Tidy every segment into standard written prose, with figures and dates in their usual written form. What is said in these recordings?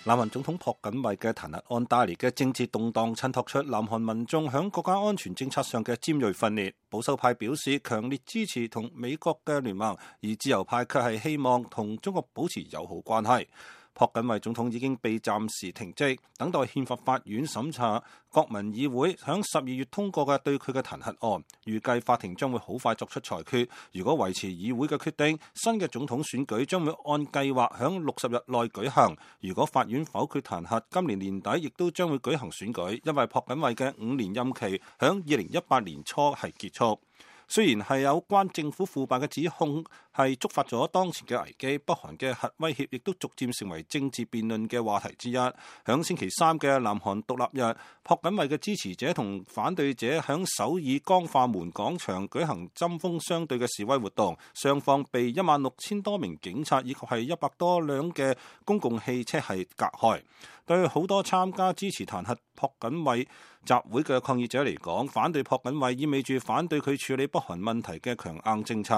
南韓總統朴槿惠嘅彈劾案帶嚟嘅政治動盪，襯托出南韓民眾響國家安全政策上嘅尖銳分裂。保守派表示強烈支持同美國嘅聯盟，而自由派卻係希望同中國保持友好關係。朴槿惠總統已經被暫時停職，等待憲法法院審查國民議會響12月通過嘅對佢嘅彈劾案。預計法庭將會好快作出裁決。如果維持議會嘅決定，新嘅總統選舉將會按計劃響60日內舉行。如果法院否決彈劾，今年年底亦都將會舉行選舉，因為朴槿惠嘅5年任期響2018年初係結束。雖然係有關政府腐敗嘅指控係觸發咗當前嘅危機，北韓嘅核威脅亦都逐漸成為政治辯論嘅話題之一。響星期三嘅南韓獨立日，朴槿惠嘅支持者同反對者響首爾江化門廣場舉行針鋒相對嘅示威活動，雙方被16000多名警察以及係100多輛嘅公共汽車係隔開。對好多參加支持彈劾朴槿惠集會嘅抗議者嚟講，反對朴槿惠意味住反對佢處理北韓問題嘅強硬政策。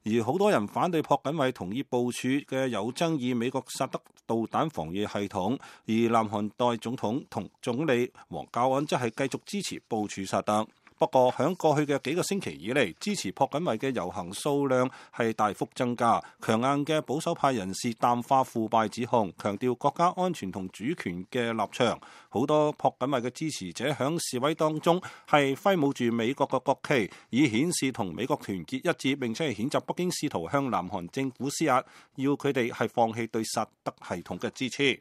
而好多人反對朴槿惠同意部署嘅有爭議美國薩德導彈防禦系統，而南韓代總統同總理黃教安則係繼續支持部署薩德。不過，響過去嘅幾個星期以嚟，支持朴槿惠嘅遊行數量係大幅增加。強硬嘅保守派人士淡化腐敗指控，強調國家安全同主權嘅立場。好多朴槿惠嘅支持者響示威當中係揮舞住美國嘅國旗，以顯示同美國團結一致，並且係譴責北京試圖向南韓政府施壓，要佢哋係放棄對薩德系統嘅支持。